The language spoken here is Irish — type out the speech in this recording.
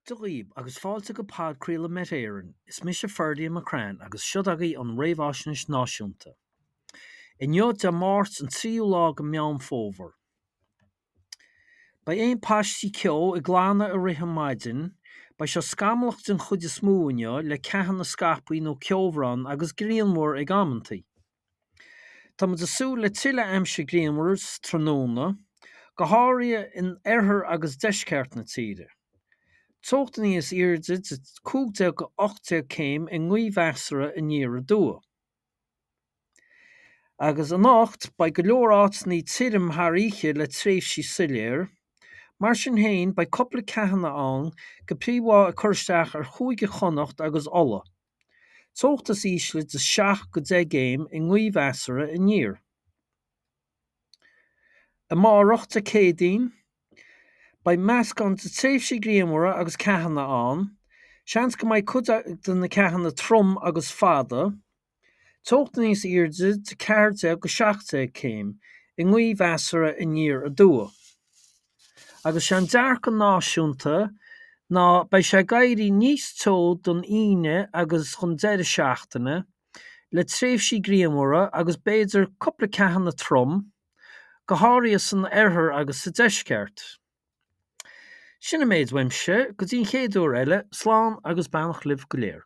Dia dhaoib agus fáilte go podchraoladh Met Éireann. Is mise Ferdia McCrann agus seo agaibh an Réamhaisnéis Náisiúnta. Inniu Dé Máirt an tríú lá de Meán Fómhair. Beidh aon paistí ceo ag glanadh i rith an maidin, beidh sé scamallach den chuid is mó inniu le ceathanna scaipthe nó ceobhrán agus grianmhar ag amantaí. Tá muid ag súil le tuilleadh aimsir grianmhar sa tráthnóna, go háirithe in oirthear agus deisceart na tíre. Teochtanna níos airde de 15 go 18 céim i ngaoth mheasartha aniar aduaidh. Agus anocht, beidh go leor áiteanna tirim thar oíche le tréimhsí soiléir. Mar sin féin, beidh cúpla ceathanna ann, go príomha ag cur isteach ar Chúige Chonnacht agus Uladh. Teocht is ísle de 7 go 10 gcéim i ngaoth mheasartha aniar. Amárach, Dé Céadaoin, beidh meascán de tréimhsí grianmhara agus ceathanna ann. Seans go mbeidh cuid de na ceathanna trom agus fada. Teocht níos airde de 14 go 17 céim i ngaoth mheasartha aniar aduaidh. Agus sé an dearcadh náisiúnta ná beidh sé ag éirí níos teo don Aoine agus don deireadh seachtaine, le tréimhsí grianmhara agus b'fhéidir cúpla ceathanna trom, go háirithe san oirthear agus sa deisceart. Sin an méid uaimse, go dtí an chéad uair eile, slán agus beannacht libh go léir.